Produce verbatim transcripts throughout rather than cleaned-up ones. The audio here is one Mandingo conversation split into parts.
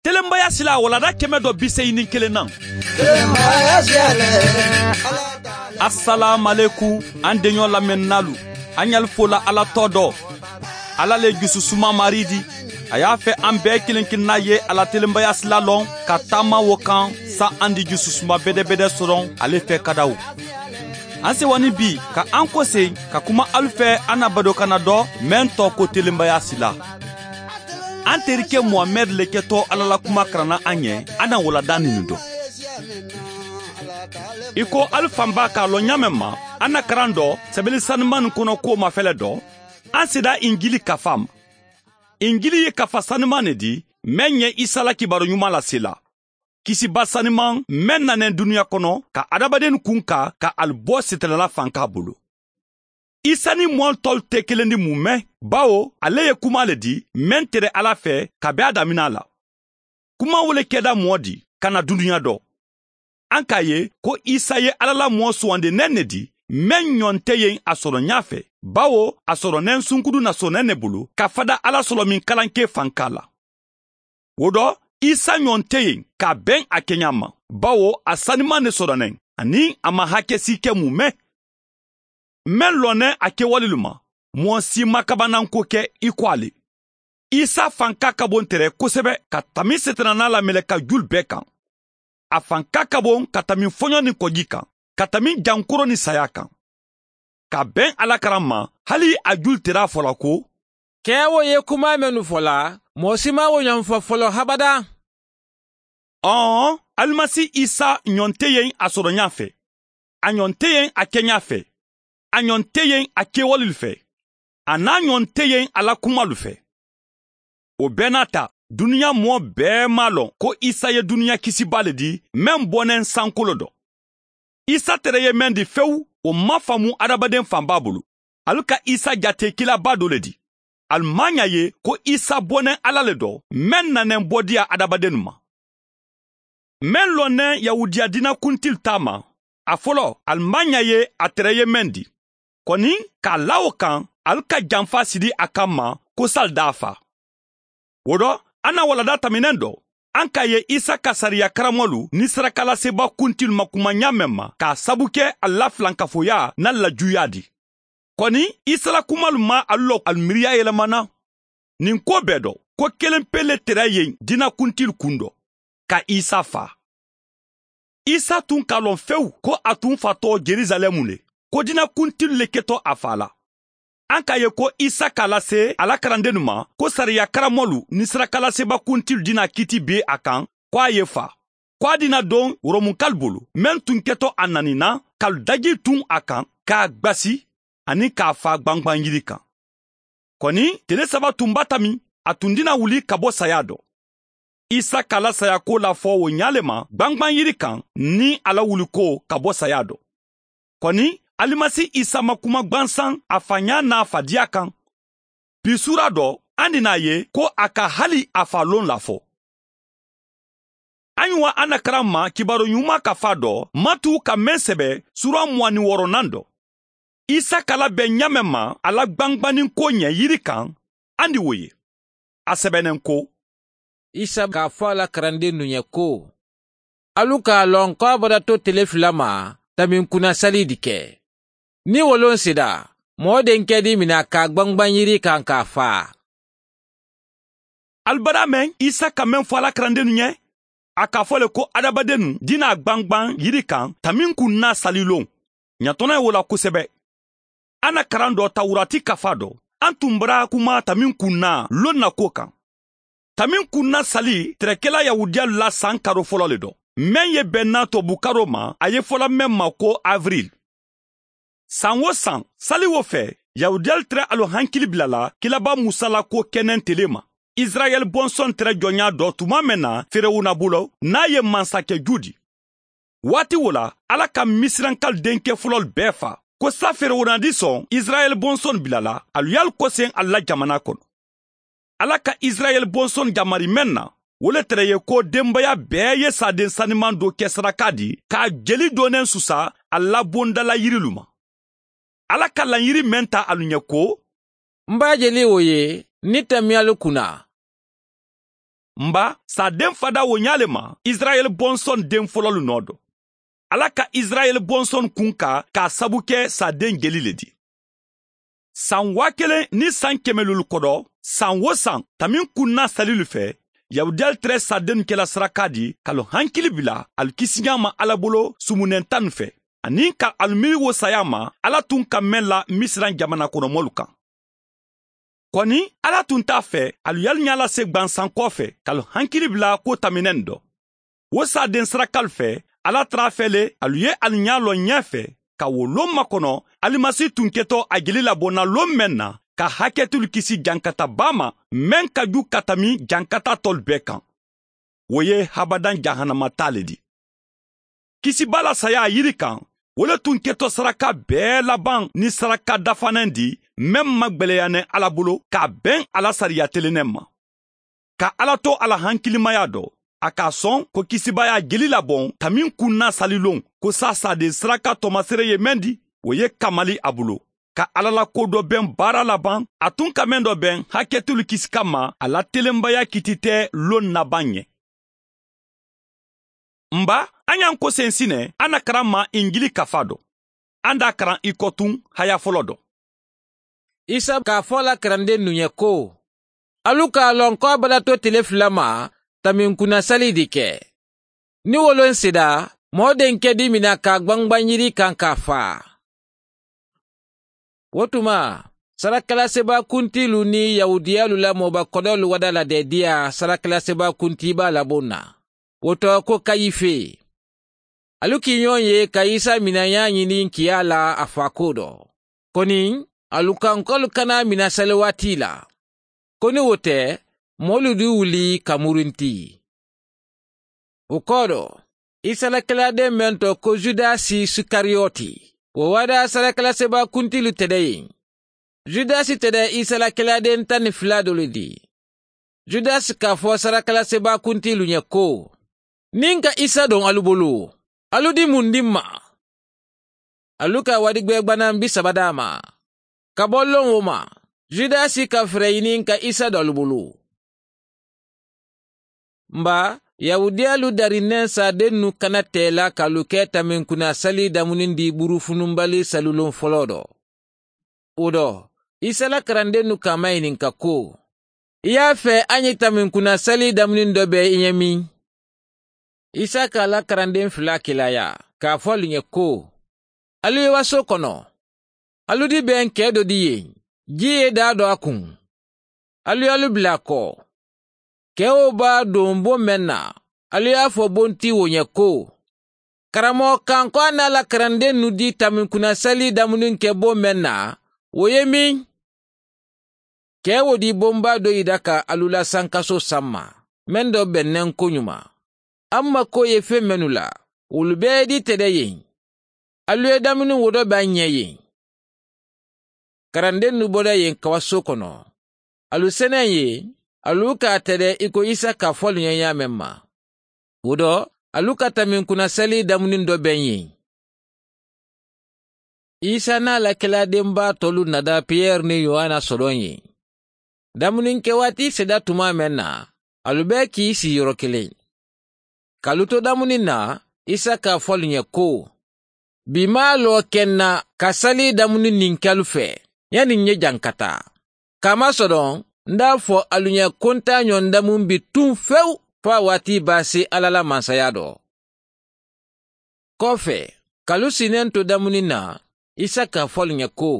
Telenbaya sila walada kɛmɛ dɔ bi seegin ni kelen na. Asalaamualekum, an deɲɔ lamɛnninaalu, an ɲali fola Ala tɔɔ dɔ. Ala le jususuma maari di. A y'a fɛ an bɛɛ kelen kelenna ye a la telenbaya sila lɔn ka taama wo kan, sa an di jususuma bɛdɛbɛdɛ sɔrɔ ale fɛ kadaw. An sewa ni bi ka an kose ka kuma alu fɛ an na badokanna dɔ, meŋ tɔɔ ko telenbaya sila. An terike muhamɛdi le kɛtɔ ala la kuma karanna an ye. An na walada ninnu dɔn. I ko alu fan b'a k'a lɔn ɲaameŋ ma, an na karan dɔ sɛbɛli saniman kono ko mafɛlɛ dɔ, an seda injili kafa ma. Injili ye kafa saniman ne di, meŋ ye isa la kibaru ɲuman lasela. Kisiba saniman meŋ nanen duniya kono ka adamadennu kunka ka ali bo sitanala fanka bulu. Isa ni moolu tolu te kelen di mumɛ, bawo ale ye kuma le di meŋ tere ala fɛ kabi a damina la. Kuma wo le keda moo di ka na duniya dɔ. An k'a ye ko isa ye ala la moo suwandinen ne di, meŋ ɲɔnte ye a sɔrɔ ɲaa fɛ, bawo a sɔrɔnen sunkudu na sɔnnen ne bulu ka fada ala sɔrɔ min kalanke fanka la. Wo dɔ, isa ɲɔnte ye k'a beŋ a keɲa ma, bawo a saniman ne sɔrɔnen ani a ma hakesi kɛ mumɛ. Meŋ lɔnnen a kewalelu ma, moo si ma kabananko kɛ i ko ale. Isa fanka ka bon tere kosɛbɛ ka tami setanana la meleka julu bɛɛ kan. A fanka ka bon ka tami foɲɔ ni kɔji kan, ka tami jankoro ni saya kan. Ka beŋ ala karan ma, hali a julu tera a fola ko, kɛ wo ye kuma mennu fola, moo si ma wo ɲɔn fɔ fɔlɔ habada. Ɔn, alimasi isa ɲɔnte ye a sɔrɔ ɲaa fɛ, a ɲɔnte ye a keɲa fɛ, a ɲɔnte ye a kewalelu fɛ, a n'a ɲɔnte ye a la kumalu fɛ. O bɛɛ n'a ta, duniya moo bɛɛ m'a lɔn ko isa ye duniya kisiba le di, meŋ bɔnnen sankolo dɔ. Isa tere ye meŋ di fewu, o ma faamu adamaden fanba bulu. Alu ka isa jate kilaba do le di. Alu maŋ ɲa ye ko isa bɔnnen ala le dɔ, meŋ nanen bɔdiya adamadennu ma. Meŋ lɔnnen yahudiya diina kuntilu taa ma, a folo alu maŋ ɲa ye a tere ye meŋ di. Kɔni, k'a la wo kaŋ, alu ka janfa sidi a kamma ko sali daa fa. Wo dɔ, a na walada taminen dɔ, an k'a ye isa ka sariya karamɔlu ni sarakalaseba kuntilu ma kuma ɲaameŋ ma k'a sabu ke alu la filankafoya n'alu la juuya di. Kɔni, isa la kumalu ma alu lɔ alu miiriya yelemana. Nin ko bɛɛ dɔ, ko kelen pe le tera yen diina kuntilu kun dɔ, ka isa faa. Isa tun ka lɔn fewu ko a tun fatɔ jerusalɛmu le, ko diina kuntilu le ketɔ a faa la. An k'a ye ko isa k'a lase a la karandennu ma ko sariya karamɔlu ni sarakalaseba kuntilu diina kiiti be a kan, ko a ye faa, ko a diina don romukalu bolo, meŋ tun ketɔ a naninan ka daji tun a kan, k'a gbasi, ani k'a faa gbangban yiri kan. Kɔni, tile saba tun b'a tami, a tun dina wuli ka bɔ saya dɔ. Isa k'a la sayako lafɔ wo ɲa le ma gbangban yiri kan ni a la wuliko ka bɔ saya dɔ. Kɔni, alimasi isa ma kuma gbansan a faɲa n'a fadiya kan. Bi suura dɔ, an dina a ye ko a ka hali a fa lon lafɔ. An ɲi wa an na karan ma kibaru ɲuman kafa dɔ, matu ka meŋ sɛbɛ suura mugan ni wɔɔrɔnan dɔ. Isa kala bɛ ɲaameŋ ma a la gbangbannin ko ɲɛ yiri kan, an di wo ye. A sɛbɛnnen ko, isa k'a fɔ a la karandennu ɲɛ ko, alu k'a lɔn ko a bada to tile fila ma, taminkunna sali di kɛ. Ni wo loŋ seda, moo denkɛ di mina k'a gbangban yiri kan k'a faa. Alu bada meŋ isa ka meŋ fo a la karandennu ɲɛ, a k'a fo le ko adabadennu dina gbangban yiri kan taminkunna sali loŋ. Ɲatɔnɔ ye wo la kosɛbɛ. An na karan dɔ tawurati kafa dɔ, an tun bara kuma taminkunna loŋ na ko kan. Taminkunna sali tɛrɛkɛla yahudiyalu la san karo fɔlɔ le dɔ, meŋ ye bɛnna tɔbu karo ma a ye fola meŋ ma ko avril. San wo san, sali wo fɛ, yahudiyalu tɛrɛ alu hankili bilala kilaba musa la ko kɛnɛn tele ma, israɛl bɔnsɔn tɛrɛ jɔnya dɔ tuma meŋ na feerewuna bolo n'a ye mansakɛ ju di. Waati wo la, ala ka misirankalu denkɛ fɔlɔlu bɛɛ fa, ko sa feerewuna di sɔn israɛl bɔnsɔn bilala alu y'alu kosen alu la jamana kono. Ala ka israɛl bɔnsɔn jamari meŋ na, wo le tɛrɛ ye ko denbaya bɛɛ ye saaden saniman do kɛ saraka di k'a jeli donnen susa a labondala yirilu ma. Ala ka lanyiri meŋ ta alu ɲɛ ko, n b'a jeli wo ye ni tamiyalu kunna. N ba, saadeŋ fadaa wo ñaa le ma isirayeli bonsoni deŋ fololu noo do. Alla ka isirayeli bonsoni kunkaa ka a sabu ke saadeŋ jeli le ti. Saŋ waa keleŋ niŋ saŋ keme luulu kodo, saŋ wo saŋ tamiŋ kunnaa salilu fe, yahudiyalu tere saadennu kela sarakaa di ka lu hankili bila alu kisiñaa ma alla bolo sumunentaanu fe, aniŋ ka alu miiri wo sayaa ma alla tun ka meŋ la misiraŋ jamana kono moolu kaŋ. Koni, alla tun te a fe alu ye alu ñaa lase gbansankoo fe ka alu hankili bila kuwo tamineŋ do. Wo saadeŋ sarakalu fe, alla tara a fe le alu ye alu ñaa loŋ ñee fe ka wo loŋ makono alimasi tun ketoo a jeli labonna loŋ meŋ na, ka haketulu kisi jankata baa ma meŋ ka ju ka tami jankata tolu bee kaŋ. Wo ye habadaŋ jahanama taa le di. Kisibaa la sayaa yiri kaŋ, wo le tun keto saraka bee labaŋ niŋ saraka dafanaŋ di, meŋ magbeleya ne alla bulu ka a beŋ a la sariya teleneŋ ma. Ka alla to a la hankilimaya do, a ka a soŋ ko kisibaayaa jeli laboŋ tamiŋ kunnaa saliloŋ ko saasaa de saraka tomasere ye meŋ di, wo ye kamali a bulu. Ka alla la ko do beŋ baara labaŋ, a tun ka meŋ do beŋ haketulu kisi kamma a la telenbaya kitite loŋ nabaŋ ye. N ba, a ñaŋ ko sensi ne a na karaŋ ma injili kafa do. A nda a karaŋ i ko tun haya folo do. Isa ka a fo a la karandennu ye ko, alu ka a loŋ ko a balato tile fula ma taminkunasali di ke. Ni woloŋ sida, moo denke di mina ka a gbangbaŋ yiri kaŋ ka a faa. Wo tuma, sarakala sebaa kuntiilu niŋ yahudiyalu la mooba kodoolu wada la de diya sarakala sebaa kuntiibaa laboŋ na, wo to ko kayife. Alu kiiñoŋ ye ka isa minayaa ñiniŋ kiyaa la a faakuwo do. Koni, alu kaŋ ko alu kana a mina saliwaati la. Koni wo te, moolu di wuli ka murinti. Wo koodo, isa la kelaadeŋ meŋ to ko judasi sikariyoti, wo wada sarakala sebaa kuntiilu te de yeŋ. Judasi te de isa la kelaadeŋ taŋ ni fula doolu di. Judasi ka a fo sarakala sebaa kuntiilu ye ko, niŋ ka isa doŋ alu bulu, alu di mundi ma? Alu ka wadigbee gbanaŋ bisaba daa ma. Ka bo loŋ wo ma, judasi ka fere i niŋ ka isa doŋ alu bulu. N ba, yahudiyalu darinneŋ saadennu kana tee la ka alu ke taminkunaa sali damunin di burufununbali saliloŋ foloo do. Wo do, isa la karandennu ka a mayininka ko, i ye a fee a ñiŋ taminkunaa sali damunin do be i ñe miŋ? Isa ka a la karandeŋ fula kilaaya, ka a fo alu ñe ko, alu ye wasoo kono. Alu di beŋ kee do di ye, jii ye daa do a kuŋ. Alu ye alu bila a ko. Kee wo be a duŋ bo meŋ na, alu ye a fo bonti wo ñe ko, karamoo kaŋ ko a na a la karandennu di taminkunaa sali damuniŋ ke bo meŋ na, wo ye miŋ? Kee wo di bombaa do i da ka alu la sankasoo samma, meŋ do beŋ neŋ koñuma. A mu ma ko ye feŋ mennu la, wolu bee di te de yeŋ. Alu ye damuni wo do be a ñee yeŋ. Karandennu bo de yeŋ kawasoo kono. Alu seneŋ ye, alu ka a te de i ko isa ka fo alu ñee ñaameŋ ma. Wo do, alu ka taminkunaa sali damuniŋ do beŋ yeŋ. Isa naa la kelaadenbaa tolu nada piyeri niŋ yohana soloŋ ye. Damuninkewaati seda tumaa meŋ na, alu bee kii sii yoro kiliŋ. Ka alu to damuniŋ na, isa ka a fo alu ñe ko, bi maa loo ke n na ka sali damuniŋ niŋ ke alu fee, ñaniŋ ñe jaŋ ka taa. Kaamasoloŋ, n daa fo alu ñe ko n taa ñoŋ damuŋ bi tuŋ fewu fo a waati baa si alla la mansayaa do. Koofe, ka alu si neŋ to damuniŋ na, isa ka a fo alu ñe ko,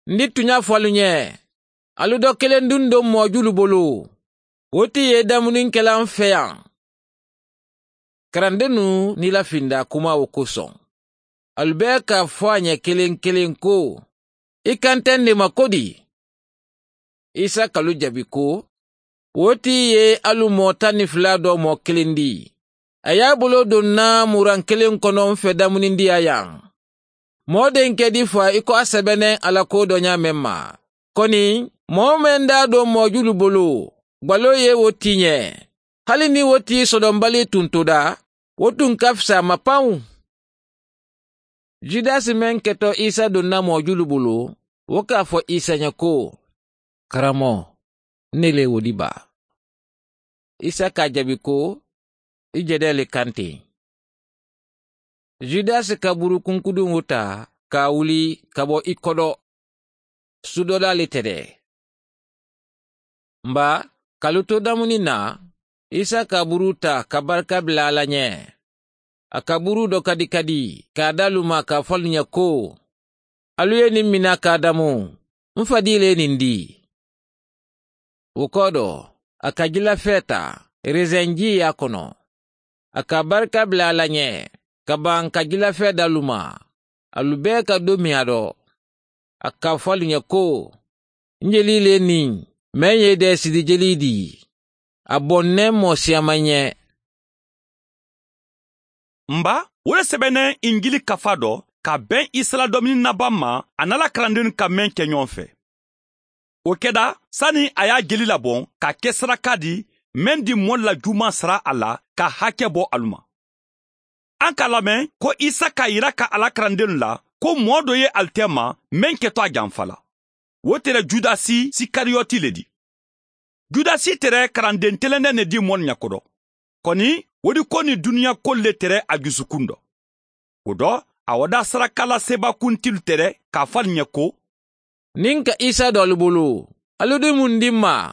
n di tuña fo alu ñe, alu do keleŋ duŋ do moo julu bulu, wo ti ye damuniŋ kela n feyaŋ. Karandennu niila findaa kumaa wo kosoŋ, alu bee ka a fo a ñe keleŋ keleŋ ko, i ka nte n di ma kodi? Isa ka alu jabi ko, wo ti ye alu moo taŋ ni fula do moo kiliŋ di. A ye a buloo duŋ na muraŋ kiliŋ kono n fe damunindiyaa yaŋ. Moo denke di fa i ko a sebeneŋ a la koo do ñaameŋ ma, koni, moo meŋ daa do moo julu bulu, gbaloo ye wo tii ñe. Hali niŋ wo tii sodombali tuntuda, wo tun ka fisa a ma paŋ. Judasi meŋ keto isa duŋ na moo julu bulu, wo ka a fo isa ñe ko, karamoo, n ne le wo di baa. Isa ka a jaabi ko, i jedee le kaŋ teŋ. Judasi ka buuru kunkudiŋo taa ka a wuli ka bo i kodo. Sudoodaa le te de. Mba, ka alu to damuni na, Isa ka buuru taa ka barika bila a la ñe. A ka buuru do kadi kadi ka a da alu ma ka a fo alu ñe ko, alu ye ñiŋ mina ka a damu. M fadii le ye ñiŋ dii. Wo kodo, a ka jilafee taa, reseŋ jii ye a kono. A ka barika bila a la ñe ka baŋ ka jilafee da alu ma. Alu bee ka do mi a do. A ka a fo alu ñe ko, n jelii le niŋ meŋ ye i deesidi jelii dii. A boŋ ne moo siyama ñe. Mba, wo le sebeneŋ injili kafaa do ka beŋ isa la domini nabaŋ ma a niŋ a la karandeenu ka meŋ ke ñoŋ fee. Wo keda sani a ye a jeli laboŋ ka ke saraka di meŋ di moolu la juumaŋ sara a la ka hake bo alu ma. A ka a lameŋ ko isa ka a yira ka a la karandeenu la ko moo do ye ali teema meŋ keto a janfa la. Wo tere judasi sikariyoti le di. Judasi tere karandeŋ telendeŋ ne di moolu ña kodo. Koni wo di ko niŋ duniya koolu le tere a jusukundo. Wo do, a wo da sarakala seebakuntilu tere ka a fo ali ñe ko, niŋ ka isa do alu bulu, alu di mundi ma?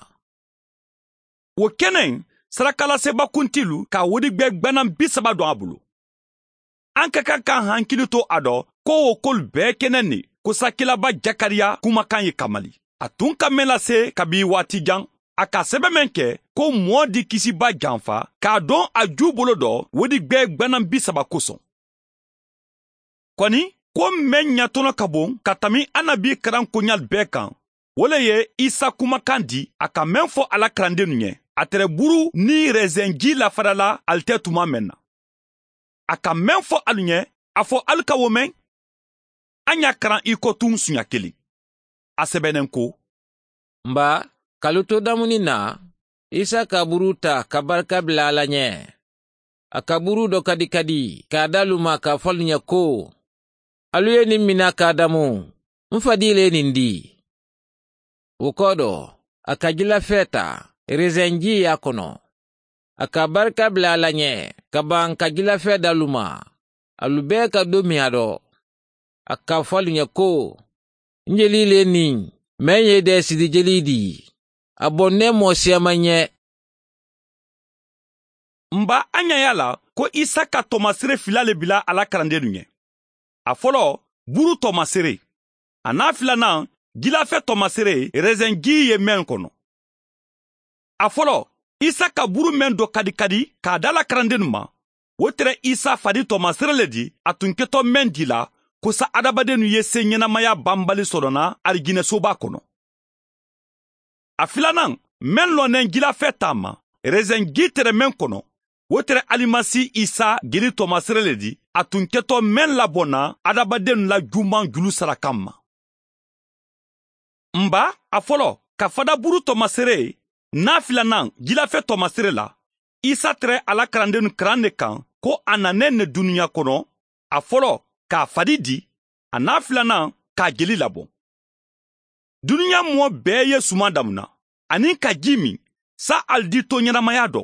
Wo keneŋ, sarakala seebakuntilu ka a wodigbee gbanaŋ bisaba doŋ a bulu. A ka kaŋ ka hankili to a do ko wo kolu bee keneŋ ne kosakilaba jakariya kumakaŋ ye kamali. A tun ka meŋ lase kabi waati jaŋ, a ka a sebe meŋ ke ko moo di kisiba janfa ka a doŋ a juu bolo do wodigbee gbanaŋ bisaba kosoŋ. Koni, ko meŋ ñatono ka boŋ ka tami annabi karankoñaalu bee kaŋ, wo le ye isa kumakaŋ di a ka meŋ fo a la karandeenu ñe, a tere buru niŋ reseŋ jii lafada la ali te tuma meŋ na. A ka meŋ fo alu ñe, a fo alu ka wo meŋ? A ña karaŋ i ko tuŋ suña kiliŋ. A sebeneŋ ko, mba, ka alu to damuni na, isa ka buru taa ka barika bila a la ñe. A ka buru do kadi kadi ka a da alu ma ka a fo alu ñe ko, alu ye ñiŋ mina ka a damu. M fadii le ye ñiŋ dii. Wo kodo, a ka jilafee taa, reseŋ jii ye a kono. A ka barika bila a la ñe ka baŋ ka jilafee da alu ma. Alu bee ka do mi a do. A ka a fo alu ñe ko, n jelii le niŋ meŋ ye i deesidi jelii dii. A boŋ ne moo siyama ñe. Mba, a ña ye a la ko isa ka tomasere fila le bila a la karandeenu ñe. A folo, buru tomasere. A naa filanaŋ, jilafe tomasere reseŋ jii ye meŋ kono. A folo, isa ka buru meŋ do kadi kadi ka a da la karandeenu ma, wo tere isa fadi tomasere le di a tun keto meŋ di la kosa adamadennu ye seeñenamaya banbali soto na arijinɛ soba kono. A filanaŋ, meŋ loneŋ jilafe taa ma, reseŋ jii tere meŋ kono, wo tere alimasi isa gili tomasere le di a tun keto meŋ labonna adamadennu la juumaŋ julu sarakaŋ ma. Mba, a folo, ka fada buru tomasere, naa filanaŋ jilafe tomasere la, isa tere a la karandeenu karaŋ ne kaŋ ko a naneŋ ne duniya kono, a folo, ka a fadi di, a naa filanaŋ, ka a jeli laboŋ. Duniya moo bee ye sumaŋ damuna aniŋ ka jii miŋ, saa ali di tooñanamaya do.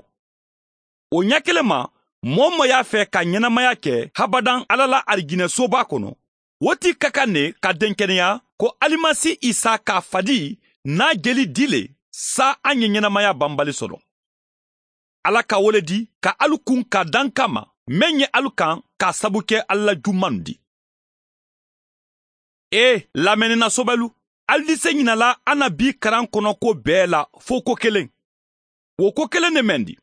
Wo ña kiliŋ ma, moo-wo-moo ye a fee ka ñenamaya ke habadaŋ alla la arijinɛ soba kono, wo ti ka kaŋ ne ka denkeneya ko alimasi isa ka a fadi naa jeli di le, saa a ñe ñenamaya banbali soto. Alla ka wo le di ka alu kuŋ ka daŋ kamma meŋ ye alu kaŋ ka a sabu ke alla la jumannu di. Ee, lameni na sobelu, ali dise ñina la annabi karaŋ kono kuwo bee la fo ko keleŋ. Wo ko keleŋ ne meŋ di,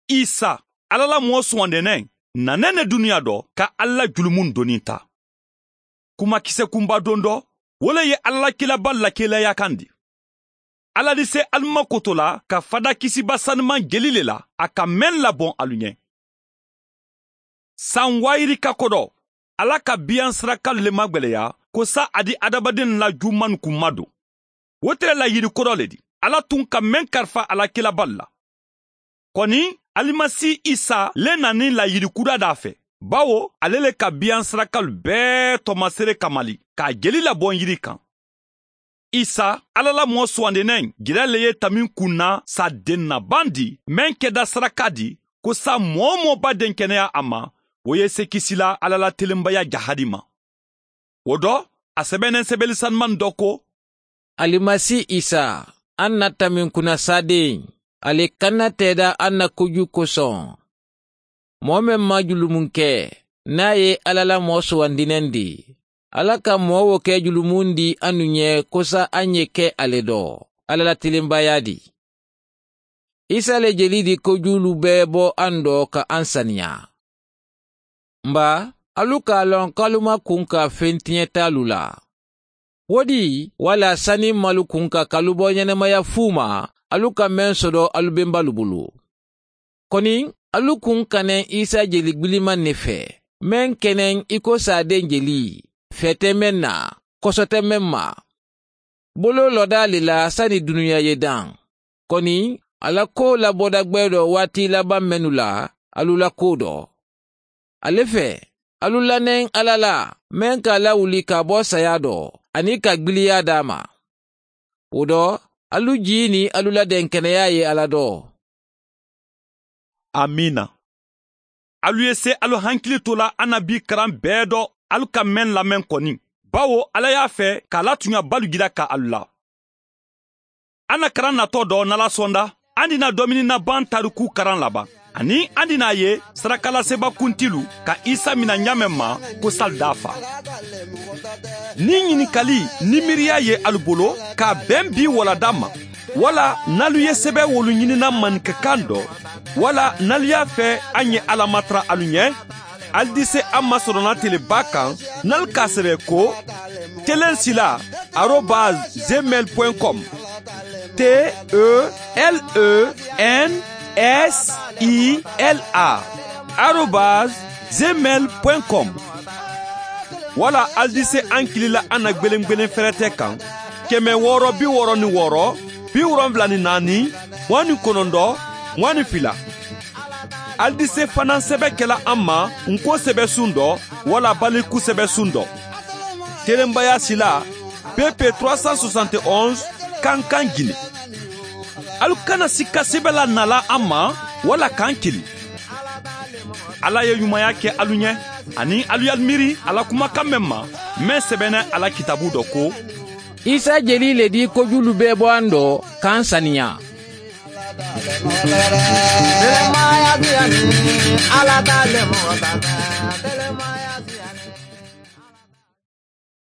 isa, alla la moo suwandineŋ, naneŋ ne duniya do ka alla la julumunnu doni taa. Kumakise kunba dondo, wo le ye alla la kiilabaalu la kiilayaakandi. Alla dise alu ma koto la ka fada kisiba sanimaŋ jeli le la a ka meŋ laboŋ alu ñe. Saŋ waayiri ka kodo, alla ka biyaŋ sirakalu le magbeleya ko saa a di adamadennu la jumannu kunma do. Wo te le la yiri kodo le di alla tun ka meŋ karafa a la kiilabaalu la. Koni, alimasi isa le na niŋ la yiri kudaa daa fe, bawo ale le ka biyaŋ sirakalu bee tomasere kamali ka a jeli laboŋ yiri kaŋ. isa, alla la moo suwandinen jira le ye taminkunna saaden na baŋ di, meŋ keda saraka di, ko saa moo-wo-moo be a denkeneya a ma, wo ye sekisila alla la telenbaya jahadi ma. Wo do, a sebeneŋ sebeli sanumaŋ do ko, alimasi isa, a na taminkunna saaden, ali kanna teeda a na koju kosoŋ. Moo meŋ maŋ julumu ke, niŋ a ye alla la moo suwandinaŋ di, alla ka moo wo ke julumu di a nu ñe kosa a ñe ke ale do, alla la tilinbaya di. Isa le jeli di kojuulu bee bo a ndo ka a saniya. Mba, alu ka a loŋ ko alu ma kunka fentiñetaalu la. Wo di, walla sani malu kunka ka alu bo ñenemaya fuuma, alu ka meŋ sodo alu bembalu bulu. Koni, alu kunkaneŋ isa jeli gbilimaŋ ne fe, meŋ keneŋ i ko saadeŋ jeli, fee te meŋ na, koso te meŋ ma. Boloo loda ali la sani duniya ye daŋ. Koni, a la koo laboda gbeedoo waati labaŋ mennu la, alu la koo do. Ale fe, alu laneŋ alla la, meŋ ka a lawuli ka a bo sayaa do, aniŋ ka gbiliyaa daa ma. Wo do, alu jii niŋ alu la denkeneyaa ye alla do. Amiina. Alu ye se alu hankili to la annabi karaŋ bee do, alu ka meŋ lameŋ koni, bawo alla ye a fe ka a la tuuñabalu jira ka alu la. Anna karaŋ natoo do nala sonda, andina domini nabaŋ taariku karaŋ labaŋ, aniŋ andina a ye sarakalaseeba kuntilu ka isa mina ñaameŋ ma, ko sali daafaa. Niŋ ñinikali niŋ miiriya ye alu bolo ka a beŋ bii walla damma, walla niŋ alu ye sebewoolu ñinina maninka kaŋ do, walla niŋ alu ye a fee a ñe alla matara alu ñe, ali dise a ma soronatelebaa kaŋ, niŋ ali ka a sebe ko, teleŋ sila arobas gmail point com. T e l e n s i l a arobas gmail point com. Walla ali dise ankili la a na gbeleŋ gbeleŋ ferete kaŋ, keme wooro bi wooro ni wooro, bi wolonwula ni naani, muwaŋ ni konondoo, muwaŋ ni fila. Ali dise fanaa sebe kela a ma, n ko sebe sundo, walla baliku sebe sundo. Telenbaya sila, pp trois cent soixante et onze, kankan gine. Alu kana sikka sebe la nala a ma, walla kaŋ kili. Alla ye ñumaya ke alu ñe, aniŋ alu ye alu miiri a la kumakaŋ meŋ ma, meŋ sebeneŋ a la kitaabu do ko, isa jeli le di kojuulu bee bo a ndo, ka a saniya.